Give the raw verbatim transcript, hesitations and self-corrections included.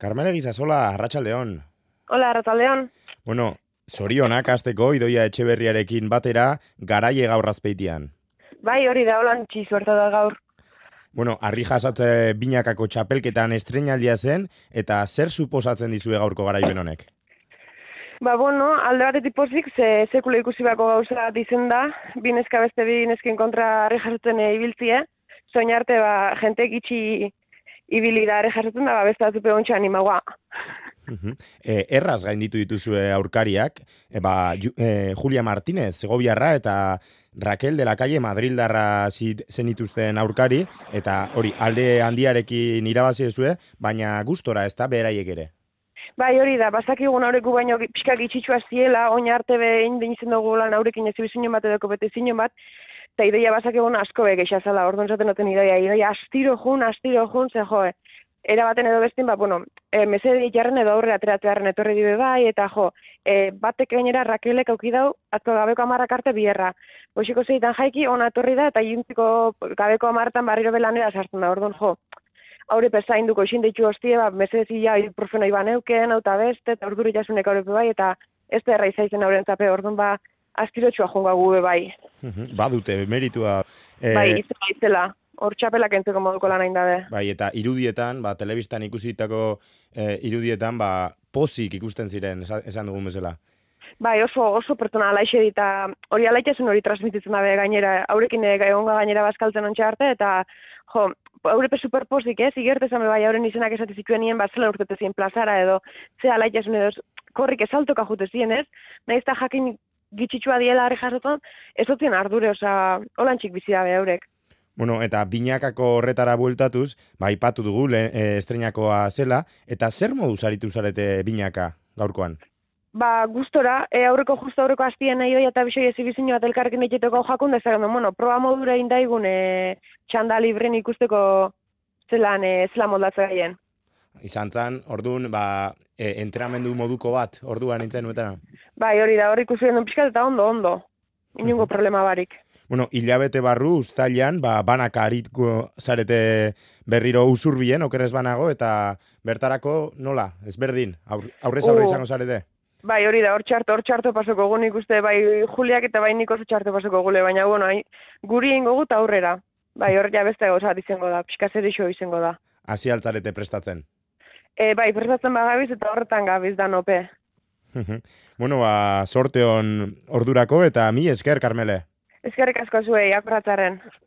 Carmele Gizasola, arratsaldeon. Hola, arratsaldeon. Bueno, zorionak hasteko Idoia Etxeberriarekin batera garaie gaur Azpeitian. Bai, hori da, holan txizuerta da gaur. Bueno, harri jasatze binakako txapelketan estreinaldia zen, eta zer suposatzen dizue gaurko garaipen honek? Ba, bueno, alde batetik pozik, ze sekula ikusi bako gauza dizen da, bineska beste bi nesken kontra harri jasotzen ibiltzie, soin arte, ba, jente gitxi ibili da harri jasotzen da, ba, beste atzupe ontsa animagoa. E, erraz gainditu dituzue aurkariak, e, ba, Ju, e, Julia Martínez, Segoviarra, eta Raquel de la Calle Madrildarra zenituzten aurkari, eta hori alde handiarekin irabazi duzue, baina gustora ez da beraiek ere. Bai, hori da, bazakigun aureku baino pixka gitxitsua ziela, oin arte behin den izen dugu lan aurekin ez ibizinon bat edo kompetizinon bat, eta ideia bazakigun asko begeixazala, orduan zaten noten ideia, ideia astiro jun, astiro jun, ze joe. Era baten edo bestin, ba, bueno, e, mesede jarren edo aurre ateratzearen etorri dibe bai, eta jo, e, batek gainera Raquelek auki dau, atzo gabeko amarrak arte bierra. Boxiko zeitan jaiki, ona etorri da, eta juntziko gabeko amartan barriro belanera sartzen da, orduan jo. Haure pesain duko isin deitu hostie, ba, mesedezia ibuprofeno iban euken, auta beste, eta orduri jasunek aurepe bai, eta ez da erra izaizen auren zape, orduan ba, askirotxua jonga gube bai. Badute, meritua. E... Bai, izela, izela. Hor txapelak entzeko moduko lan hain dabe. Bai, eta irudietan, ba, telebistan ikusitako e, irudietan, ba, pozik ikusten ziren, esan dugun bezala. Bai, oso, oso pertsona alaixe dita, hori alaixezen hori transmititzen dabe gainera, haurekin egonga gainera bazkaltzen ontsa arte, eta, jo, haurepe superpozik, ez, igertezan bai, hauren izenak esate zituen nien, bat zelan urtetezien plazara, edo, ze alaixezen edo, korrik esaltoka jutezien, ez, nahiz eta jakin gitxitsua diela harri jasotan, ez dutzen ardure, oza, holantxik bizi dabe haurek. Bueno, eta binakako horretara bueltatuz, ba, ipatu dugu, le, e, estreinakoa zela, eta zer moduz aritu zarete binaka gaurkoan? Ba, gustora, e, aurreko justo aurreko hastien nahi hoi eta bisoi ez ibizino bat elkarrekin egiteko jakun dezagun, bueno, proba modura indaigun e, txanda libren ikusteko zelan, e, zelan moldatzen gaien. Izan zan, orduan, ba, e, entrenamendu moduko bat, orduan nintzen nuetana? Bai, hori da, hori ikusi den pixkat eta ondo, ondo. Inungo problema barik. Bueno, hilabete barru, uztailan, ba, banaka aritko zarete berriro usurbien, okerrez banago, eta bertarako nola, ezberdin, aur, aurrez aurre izango zarete? Bai, hori da, hor txarto, hor txarto pasoko gu nik uste, bai Juliak eta bai nik oso txarto pasoko gule, baina, bueno, hai, guri ingo gut aurrera. Bai, hor ja beste gauzat izango da, pixka zer iso izango da. Hasi altzarete prestatzen? E, bai, prestatzen bagabiz eta horretan gabiz da nope. Bueno, ba, sorte on ordurako eta mi esker, Carmele. Eskerrik asko zuei, akorratzaren.